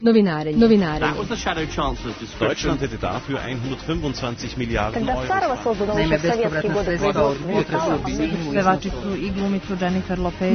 Novinarenje. Deutschland hätte dafür 125 Miliarden Euro. Naime, bespovratna sredstva utrošila bi pevačicu i glumicu Jennifer Lopez.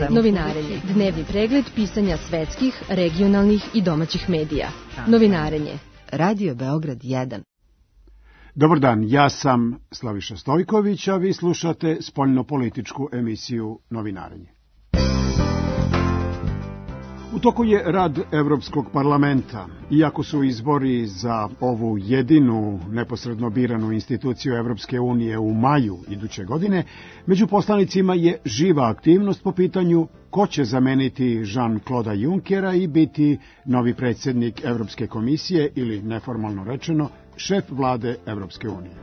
Novinarenje. Dnevni pregled pisanja svetskih, regionalnih i domaćih medija. Novinarenje. Radio Beograd 1. Dobar dan, ja sam Slaviša Stojković, a vi slušate spoljnopolitičku emisiju Novinarenje. U toku je rad Evropskog parlamenta. Iako su izbori za ovu jedinu neposredno biranu instituciju Evropske unije u maju iduće godine, među poslanicima je živa aktivnost po pitanju ko će zameniti Jean-Claude Junckera i biti novi predsjednik Evropske komisije ili, neformalno rečeno, šef vlade Evropske unije.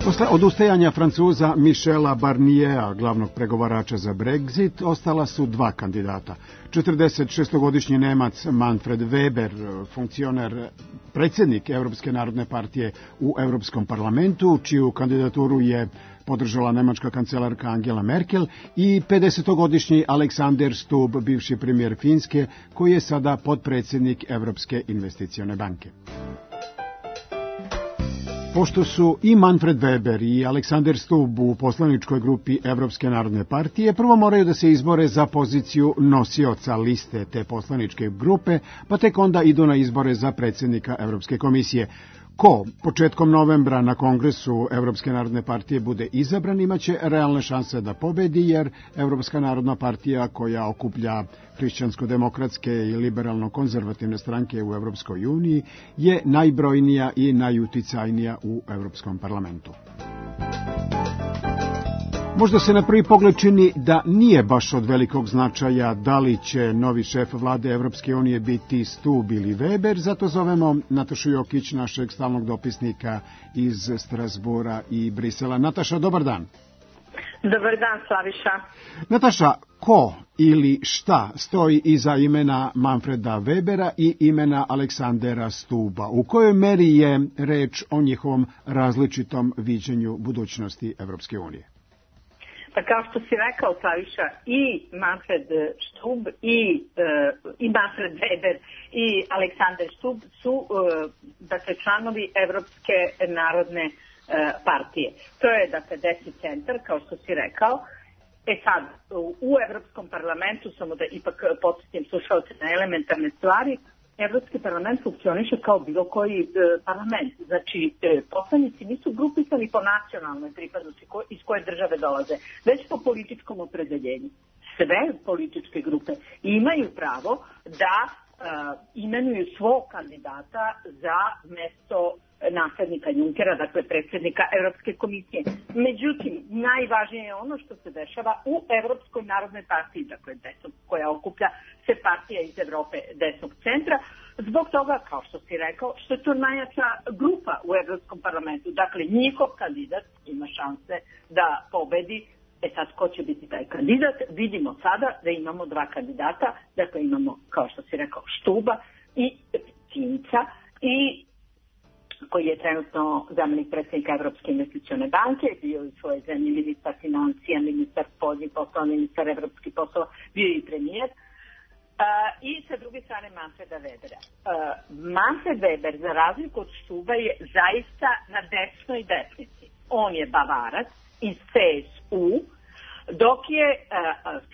Posle odustajanja Francuza Michela Barniera, glavnog pregovarača za Brexit, ostala su dva kandidata. 46-godišnji Nemac Manfred Weber, funkcioner, predsjednik Evropske narodne partije u Europskom parlamentu, čiju kandidaturu je podržala nemačka kancelarka Angela Merkel, i 50-godišnji Alexander Stubb, bivši premijer Finske, koji je sada potpredsjednik Evropske investicione banke. Pošto su i Manfred Weber i Alexander Stubb u poslaničkoj grupi Evropske narodne partije, prvo moraju da se izbore za poziciju nosioca liste te poslaničke grupe, pa tek onda idu na izbore za predsjednika Evropske komisije. Ko početkom novembra na kongresu Evropske narodne partije bude izabran, imaće realne šanse da pobedi, jer Evropska narodna partija, koja okuplja hrišćansko-demokratske i liberalno-konzervativne stranke u Evropskoj uniji, je najbrojnija i najuticajnija u Evropskom parlamentu. Možda se na prvi pogled čini da nije baš od velikog značaja da li će novi šef vlade Evropske unije biti Stubb ili Weber, zato zovemo Natašu Jokić, našeg stalnog dopisnika iz Strasbura i Brisela. Nataša, dobar dan. Dobar dan, Slaviša. Nataša, ko ili šta stoji iza imena Manfreda Webera i imena Aleksandera Stubba? U kojoj meri je reč o njihovom različitom viđenju budućnosti Evropske unije? Pa kao što si rekao, Slaviša, i Manfred Stubb i Manfred Weber i Alexander Stubb su dakle, članovi Evropske narodne partije. To je dakle desni centar, kao što si rekao. Sad, u Evropskom parlamentu, samo da ipak podsjetim slušalce na elementarne stvari, Evropski parlament funkcioniše kao bilo koji parlament. Znači, poslanici nisu grupisani po nacionalnoj pripadnosti iz koje države dolaze, već po političkom opredeljenju. Sve političke grupe imaju pravo da imenuju svog kandidata za mesto naslednika Junckera, dakle predsjednika Evropske komisije. Međutim, najvažnije je ono što se dešava u Evropskoj narodnoj partiji, dakle koja okuplja se partija iz Evrope desnog centra, zbog toga, kao što si rekao, što je to najjača grupa u Evropskom parlamentu. Dakle, njihov kandidat ima šanse da pobedi. Sad, ko će biti taj kandidat? Vidimo sada da imamo dva kandidata, dakle imamo, kao što si rekao, Stubba i Finca, i koji je trenutno zamenik predsjednika Evropske investicione banke, bio u svojoj zemlji ministar financija, ministar spoljnih poslova, ministar evropskih poslova, bio i premijer. I sa druge strane Manfreda Webera. Manfred Weber, za razliku od Stubba, je zaista na desnoj desnici. On je Bavarac iz CSU, dok je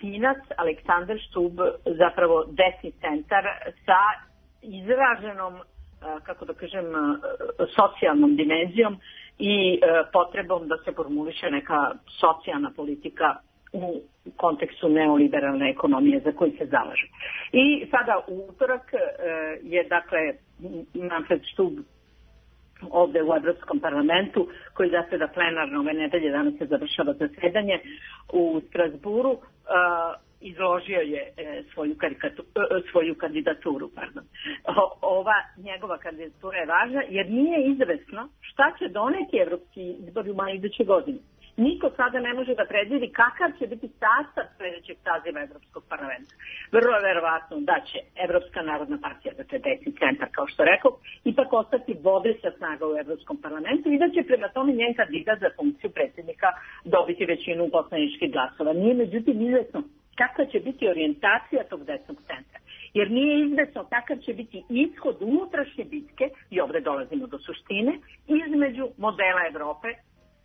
Finac Alexander Stubb zapravo desni centar sa izraženom, kako da kažem, socijalnom dimenzijom i potrebom da se formuliše neka socijalna politika u kontekstu neoliberalne ekonomije za koju se zalaže. I sada u utorak je dakle Manfred Stubb ovde u Evropskom parlamentu, koji zaseda plenarno ove nedelje, danas se završava zasedanje u Strasburu, izložio je svoju kandidaturu. Ova njegova kandidatura je važna jer nije izvesno šta će doneti evropski izbori u maju iduće godine. Niko sada ne može da predvidi kakav će biti sastav sljedećeg saziva Evropskog parlamenta. Vrlo je verovatno da će Evropska narodna partija, dakle desni centar, kao što rekao, ipak ostati vodeća snaga u Evropskom parlamentu i da će prema tome njen kandidat za funkciju predsjednika dobiti većinu poslaničkih glasova. Nije međutim izvesno kakva će biti orijentacija tog desnog centra. jer nije izvesno kakav će biti ishod unutrašnje bitke, i ovde dolazimo do suštine, između modela Evrope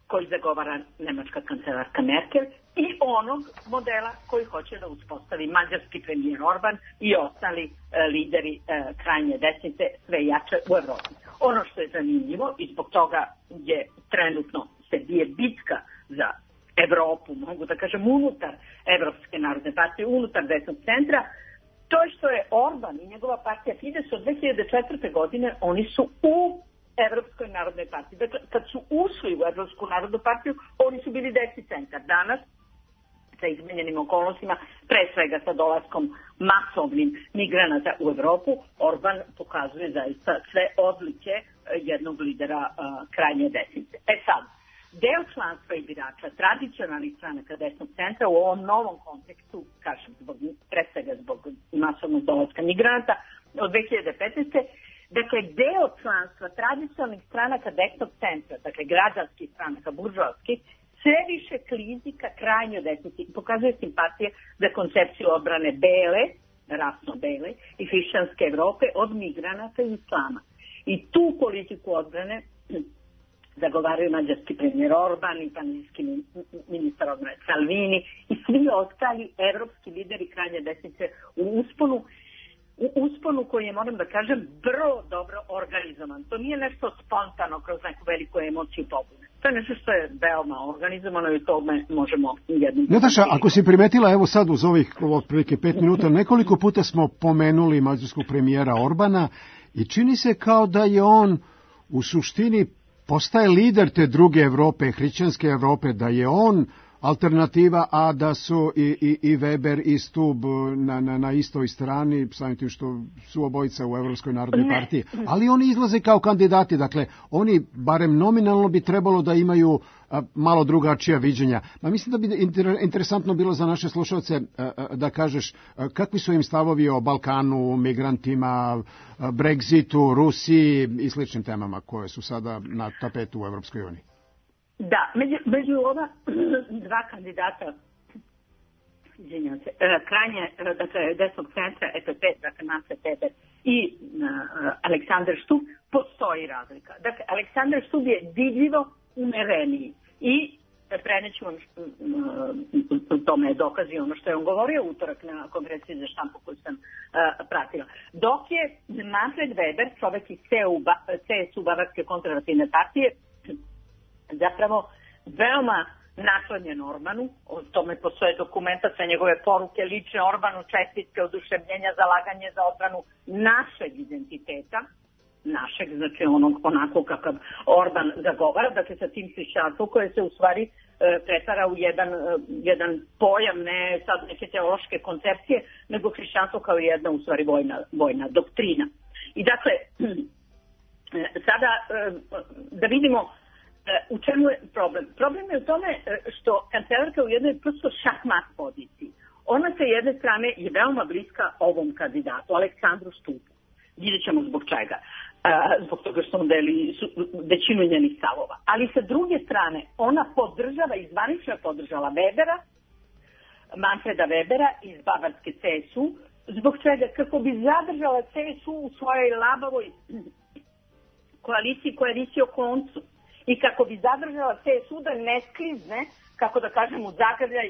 koji zagovara nemačka kancelarka Merkel i onog modela koji hoće da uspostavi mađarski premijer Orban i ostali lideri krajnje desnice sve jače u Evropi. Ono što je zanimljivo i zbog toga je trenutno se bije bitka za Evropu, mogu da kažem unutar Evropske narodne partije, unutar desnog centra, to je što je Orban i njegova partija Fides od 2004. godine, oni su u Evropskoj narodnoj partiji. Dakle, kad su ušli u Evropsku narodnu partiju, oni su bili desni centar. Danas, sa izmenjenim okolnostima, pre svega sa dolaskom masovnim migranata u Evropu, Orban pokazuje zaista sve odlike jednog lidera krajnje desnice. Sad, deo članstva i birača tradicionalnih stranaka desnog centra u ovom novom kontekstu, kažem, pre svega zbog masovnog dolaska migranata od 2015. Dakle, deo članstva tradicionalnih stranaka desnog centra, dakle građanskih stranaka, buržoavskih, sve više klizi ka krajnjoj desnici i pokazuje simpatije za koncepciju odbrane bele, rasno bele i hrišćanske Evrope od migranata i islama. I tu politiku odbrane zagovaraju mađarski premijer Orban i panijski ministar odbrane Salvini i svi ostali evropski lideri krajnje desnice u usponu koji je, moram da kažem, vrlo dobro organizovan. To nije nešto spontano kroz neku veliku emociju pobune. To je nešto što je veoma organizovano i tome možemo jednom... Nataša, ako si primetila, evo sad uz ovih otprilike 5 minuta, nekoliko puta smo pomenuli mađarskog premijera Orbana i čini se kao da je on u suštini postaje lider te druge Evrope, hrišćanske Evrope, da je on alternativa, a da su i Weber i Stubb na istoj strani, samim tim što su obojica u Evropskoj narodnoj partiji. Ali oni izlaze kao kandidati, dakle, oni barem nominalno bi trebalo da imaju malo drugačija viđenja. Ma mislim da bi interesantno bilo za naše slušalce da kažeš kakvi su im stavovi o Balkanu, migrantima, Brexitu, Rusiji i sličnim temama koje su sada na tapetu u Evropskoj uniji. Da, među ova dva kandidata, izvinjam se, krajnje, dakle, desnog centra EPP, dakle, Manfred Weber i Aleksandar Stubb, postoji razlika. Dakle, Aleksandar Stubb je vidljivo umereniji i preneću vam tome je dokazi ono što je on govorio utorak na konferenciji za štampu koju sam pratila. Dok je Manfred Weber, čovek iz CSU Bavarske konzervativne partije, zapravo veoma naklonjen Orbanu, o tome postoje dokumenta sa njegove poruke lične Orbanu, čestitke, oduševljenja, zalaganje za odbranu našeg identiteta, našeg, znači onako kakav Orban zagovara, dakle sa tim hrišćanstvom koje se u stvari pretvara u jedan pojam, ne sad neke teološke koncepcije, nego hrišćanstvo kao jedna u stvari vojna doktrina. I dakle, sada da vidimo u čemu je problem? Problem je u tome što kancelarka u jednoj prosto šahmat poziciji. Ona sa jedne strane je veoma bliska ovom kandidatu, Aleksandru Stubbu. Vidjet ćemo zbog čega. Zbog toga što on deli većinu njenih stavova. Ali sa druge strane, ona podržava i zvanično je podržala Webera, Manfreda Webera iz Bavarske CSU, zbog čega kako bi zadržala CSU u svojoj labavoj koaliciji koja visi o koncu. I kako bi zadržala CSU da ne sklizne, kako da kažem, u zagrljaj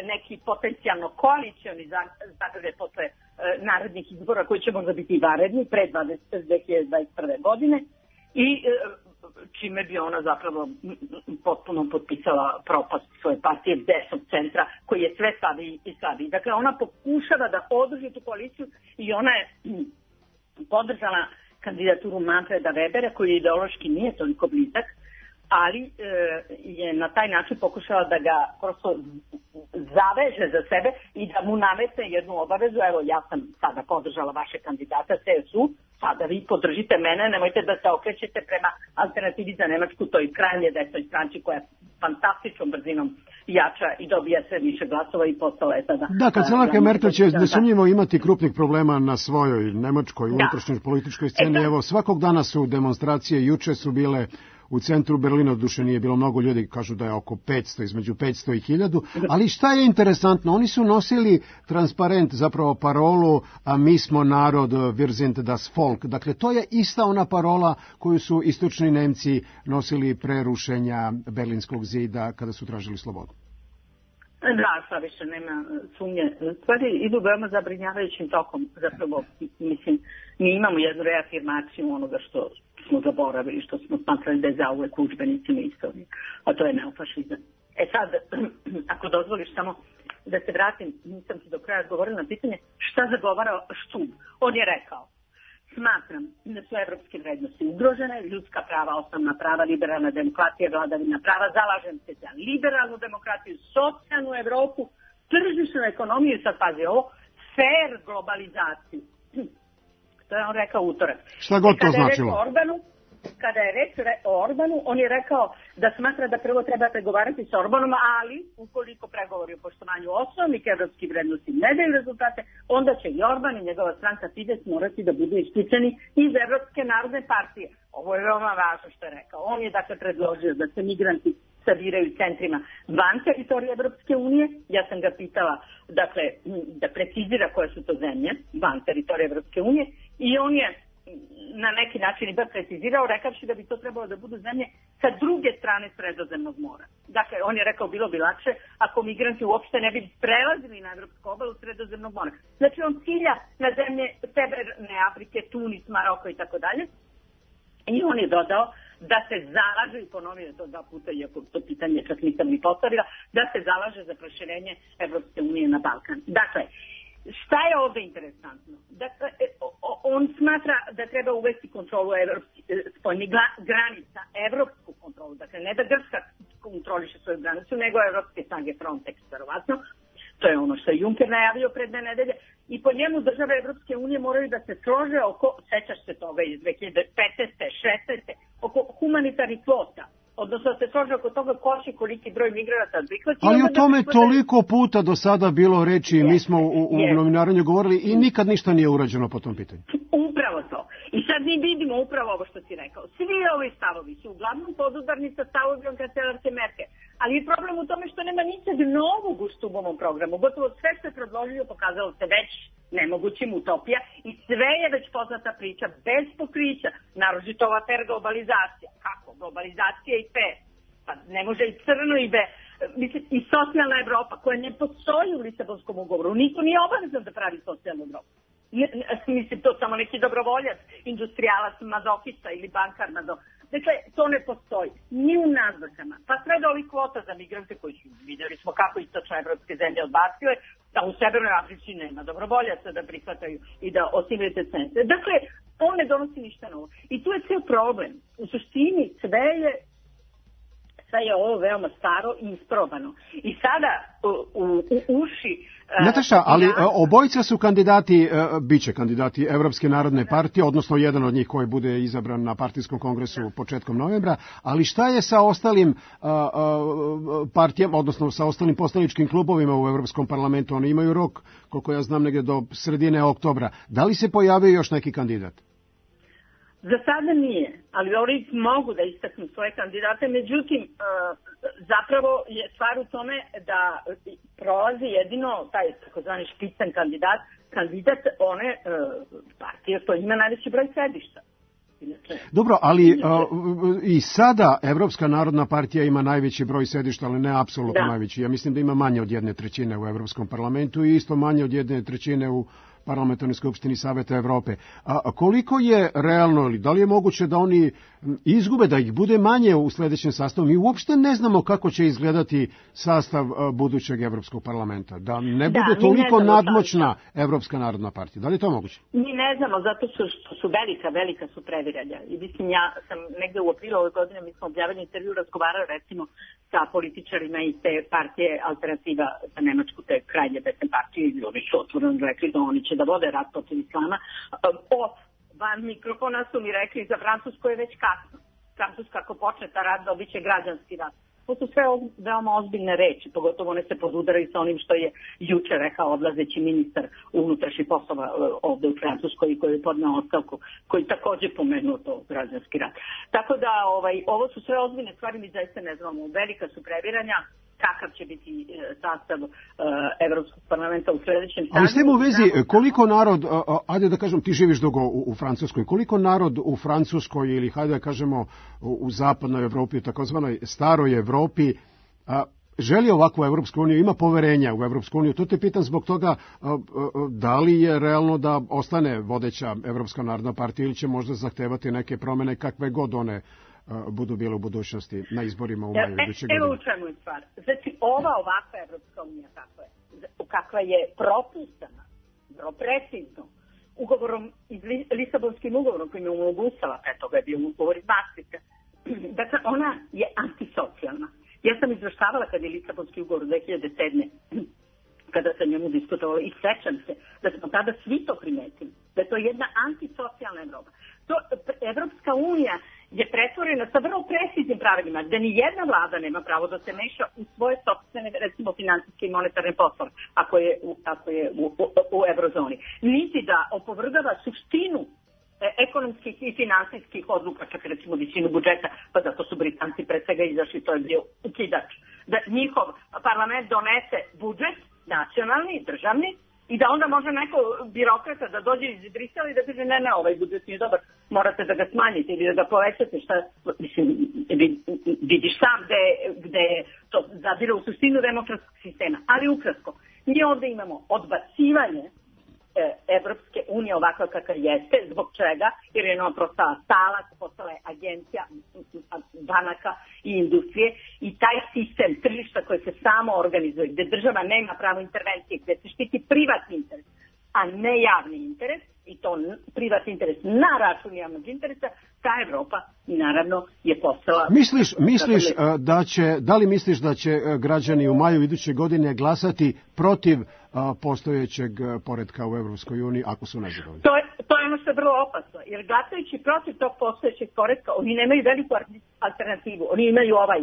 neki potencijalno koalicioni zagrljaj posle narednih izbora koji će možda biti varedni pre 2021. godine i čime bi ona zapravo potpuno potpisala propast svoje partije desnog centra koji je sve slabiji i slabiji. Dakle, ona pokušava da održi tu koaliciju i ona je podržala kandidaturu Manfreda Webera koji ideološki nije toliko blizak, ali je na taj način pokušala da ga prosto zaveže za sebe i da mu nametne jednu obavezu. Evo, ja sam sada podržala vaše kandidata CSU, sada vi podržite mene, nemojte da se okrećete prema alternativi za Nemačku, toj krajnje desnoj stranci koja fantastičnom brzinom jača i dobija sve više glasova i postala je sada... Da, kancelarka Merkel će nesumnjivo imati krupnih problema na svojoj nemačkoj unutrašnjoj političkoj sceni. Evo, svakog dana su demonstracije, juče su bile u centru Berlina, duše nije bilo mnogo ljudi, kažu da je oko 500, između 500 i 1000, ali šta je interesantno, oni su nosili transparent, zapravo parolu, a mi smo narod, wir sind das Volk, dakle to je ista ona parola koju su istočni Nemci nosili pre rušenja Berlinskog zida kada su tražili slobodu. Da, sad više nema sumnje. Stvari idu veoma zabrinjavajućim tokom. Zapravo, mislim, mi imamo jednu reafirmaciju onoga što smo zaboravili, što smo smatrali da je zauvek u udžbenicima istorije, a to je neofašizam. Sad, ako dozvoliš samo da se vratim, nisam ti do kraja odgovorila na pitanje šta zagovara Štub. On je rekao: smatram da su evropske vrednosti ugrožene, ljudska prava, osnovna prava, liberalna demokratija, vladavina prava, zalažem se za liberalnu demokratiju, socijalnu Evropu, tržišnu ekonomiju i sad pazi ovo, fair globalizaciju. To je on rekao utorak. Šta god to značilo? Kada je reč o Orbanu, on je rekao da smatra da prvo treba pregovarati sa Orbanom, ali ukoliko pregovori o poštovanju osnovnih evropskih vrednosti ne daju rezultate, onda će i Orban i njegova stranka Fides morati da budu isključeni iz Evropske narodne partije. Ovo je veoma važno što je rekao. On je dakle predložio da se migranti sabiraju centrima van teritorije Evropske unije. Ja sam ga pitala dakle, da precizira koje su to zemlje van teritorije Evropske unije i on je na neki način i bar precizirao, rekavši da bi to trebalo da budu zemlje sa druge strane Sredozemnog mora. Dakle, on je rekao bilo bi lakše ako migranti uopšte ne bi prelazili na evropsku obalu Sredozemnog mora. Znači, on cilja na zemlje Severne Afrike, Tunis, Maroko i tako dalje. I on je dodao da se zalaže, i ponovio to 2 puta, iako to pitanje čak nisam ni postavila, da se zalaže za proširenje Evropske unije na Balkan. Dakle, šta je ovde interesantno? Dakle, on smatra da treba uvesti kontrolu spoljnih granica, evropsku kontrolu, dakle ne da Grčka kontroliše svoju granicu, nego evropske snage Frontex, verovatno. To je ono što je Juncker najavio pred 2 nedelje. I po njemu države Evropske unije moraju da se slože oko, sećaš se toga iz 2015. 16. oko humanitarnih kvota. Odnosno da se slože oko toga ko će koliki broj migranata prihvati. Ali o tome toliko puta do sada bilo reči, mi smo u novinarenju govorili i nikad ništa nije urađeno po tom pitanju. Upravo to. I sad mi vidimo upravo ovo što si rekao. Svi ovi stavovi su uglavnom podudarni sa stavovima kancelarke Merkel. Ali je problem u tome što nema ničeg novog u Štubovom programu. Gotovo sve što je predložio pokazalo se već nemogućim, utopija, i sve je već poznata priča bez pokrića, naročito ova fair globalizacija. Kako? Globalizacija i fair. Pa ne može i crno i mislim, i socijalna Evropa koja ne postoji u Lisabonskom ugovoru. Niko nije obavezan da pravi socijalnu Evropu. Mislim, to samo neki dobrovoljac, industrijalac, mazohista ili bankar mazohista. Dakle, to ne postoji. Ni u naznakama. Pa sve do ovih kvota za migrante koji su, vidjeli smo kako istočnoevropske zemlje odbacile, da u Severnoj Africi nema dobrovoljaca da prihvataju i da osimljaju te centre. Dakle, on ne donosi ništa novo. I tu je cijel problem. U suštini sve je ovo veoma staro i isprobano. I sada u uši... Nataša, ali obojica su kandidati, biće kandidati Evropske narodne partije, odnosno jedan od njih koji bude izabran na partijskom kongresu početkom novembra, ali šta je sa ostalim partijama, odnosno sa ostalim poslaničkim klubovima u Evropskom parlamentu? Oni imaju rok, koliko ja znam, negdje do sredine oktobra. Da li se pojavio još neki kandidat? Za sada nije, ali oni mogu da istaknu svoje kandidate, međutim, zapravo je stvar u tome da prolazi jedino taj takozvani špicen kandidat one partije koji ima najveći broj sedišta. Dobro, ali i sada Evropska narodna partija ima najveći broj sedišta, ali ne apsolutno najveći. Ja mislim da ima manje od 1/3 u Evropskom parlamentu i isto manje od 1/3 u Parlamentarnoj skupštini Saveta Evrope. A koliko je realno, ili da li je moguće da oni izgube, da ih bude manje u sljedećem sastavu? Mi uopšte ne znamo kako će izgledati sastav budućeg Evropskog parlamenta. Da ne bude toliko nadmoćna Evropska narodna partija. Da li je to moguće? Mi ne znamo, zato što su velika su previranja. I mislim, ja sam negde u aprilu ove godine, mi smo objavili intervju, razgovarali recimo sa političarima iz te partije Alternativa za Nemačku, te krajnje desne partije, i oni su otvoreno rekli da oni će da vode rat protiv islama. Van mikrofona su mi rekli za Francusku je već kasno. Francuska ako počne ta rat dobit će građanski rat. To su sve veoma ozbiljne reči, pogotovo one se podudaraju sa onim što je juče rekao odlazeći ministar unutrašnjih poslova ovde u Francuskoj koji je podneo ostavku, koji takođe pomenuo to građanski rat. Tako da ovo su sve ozbiljne stvari, mi zaista ne znamo, velika su previranja, kakav će biti sastav Evropskog parlamenta u sledećem sazivu. Ali s tim u vezi, koliko narod, ajde da kažem, ti živiš dugo u Francuskoj, koliko narod u Francuskoj ili hajde da kažemo u zapadnoj Evropi, u takozvanoj staroj Evropi, želi ovakvu Evropsku uniju, ima poverenja u Evropsku uniju? To te pitam zbog toga da li je realno da ostane vodeća Evropska narodna partija ili će možda zahtevati neke promene kakve god one budu bile u budućnosti na izborima u maju iduće godine. Evo u čemu je stvar. Znači, ovakva Evropska unija kakva je propisana, vrlo precizno, ugovorom, Lisabonskim ugovorom koji je omogućava, toga je bio ugovor iz Maastrichta, dakle, ona je antisocijalna. Ja sam izvrštavala kad je Lisabonski ugovor 2007. kada sam njemu diskutovala i sećam se da smo tada svi to primetili, da je to jedna antisocijalna Evropa. Evropska unija je pretvorena sa vrlo preciznim pravilima, gde ni jedna vlada nema pravo da se meša u svoje sopstvene, recimo, finansijske i monetarne poslove, ako je u eurozoni. Niti da opovrgava suštinu ekonomskih i finansijskih odluka, čak recimo visinu budžeta, pa zato su Britanci pre svega izašli, to je bio ukidač. Da njihov parlament donese budžet, nacionalni, državni, i da onda može neko birokrata da dođe iz Brisela i da kaže ne, ovaj budžet nije dobar, morate da ga smanjite ili da ga povećate, šta, mislim, vidiš sam gde to zadire u suštinu demokratskog sistema. Ali ukratko, mi ovde imamo odbacivanje Evropske unije ovakva kakva jeste, zbog čega? Jer je ona postala talac, postala je agencija banaka i industrije i taj sistem tržišta koji se samo organizuje, gde država nema pravo intervencije, gde se štiti privatni interes, a ne javni interes, i to privatni interes na račun javnog interesa, ta Evropa naravno je postala... Da li misliš da će građani u maju iduće godine glasati protiv postojećeg poretka u Evropskoj uniji ako su nezadovoljni? To je ono što je vrlo opasno, jer glasajući protiv tog postojećeg poretka, oni nemaju veliku alternativu. Oni imaju ovaj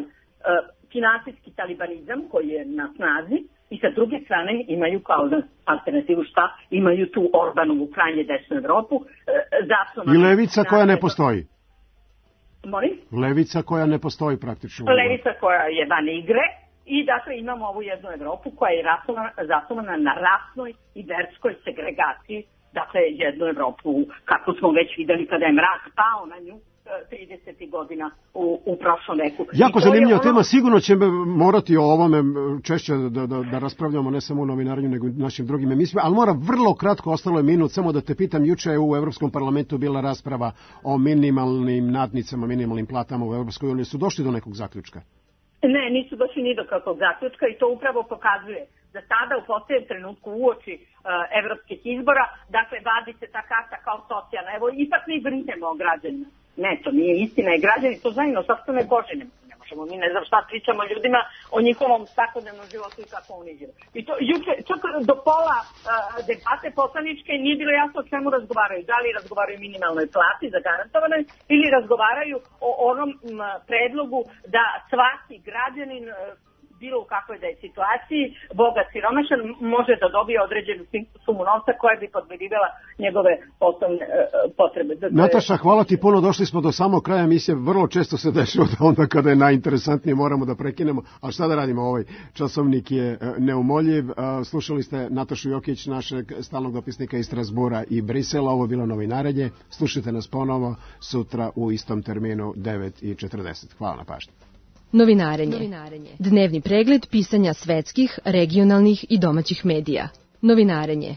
finansijski talibanizam koji je na snazi i sa druge strane imaju kao alternativu šta? Imaju tu Orbanovu krajnje desnu Evropu. I levica koja ne postoji. Molim? Levica koja ne postoji praktično. Levica koja je van igre. I dakle imamo ovu jednu Evropu koja je zasnovana na rasnoj i verskoj segregaciji, dakle jednu Evropu kako smo već videli kada je mrak pao na nju 30. godina u prošlom veku. Jako zanimljiva tema, sigurno ćemo morati o ovome češće da raspravljamo ne samo u novinarenju nego i našim drugim emisijama, ali mora vrlo kratko, ostalo je minut, samo da te pitam, juče je u Evropskom parlamentu bila rasprava o minimalnim nadnicama, minimalnim platama u Evropskoj uniji. Su došli do nekog zaključka? Ne, nisu došli ni do kakvog zaključka i to upravo pokazuje da sada u posljednjem trenutku uoči evropskih izbora, dakle, vadi se ta karta kao socijalna. Evo, ipak mi brinemo o građanima. Ne, to nije istina i građani to znaju, no sopstvene kože ne možemo, mi ne znam šta pričamo ljudima o njihovom svakodnevnom životu i kako oni žive. I to juče, čak do pola debate poslaničke nije bilo jasno o čemu razgovaraju. Da li razgovaraju o minimalnoj plati zagarantovanoj ili razgovaraju o onom predlogu da svaki građanin bilo u kakvoj da je situaciji, bogat siromašan, može da dobije određenu sumu novca koja bi podmirivala njegove osnovne potrebe. Nataša, hvala ti puno, došli smo do samog kraja emisije, vrlo često se dešava da onda kada je najinteresantnije moramo da prekinemo, ali šta da radimo, ovaj časovnik je neumoljiv. Slušali ste Natašu Jokić, našeg stalnog dopisnika iz Strasbura i Brisela, ovo je bilo novinarenje, slušajte nas ponovo sutra u istom terminu 9:40. Hvala na pažnji. Novinarenje. Dnevni pregled pisanja svetskih, regionalnih i domaćih medija. Novinarenje.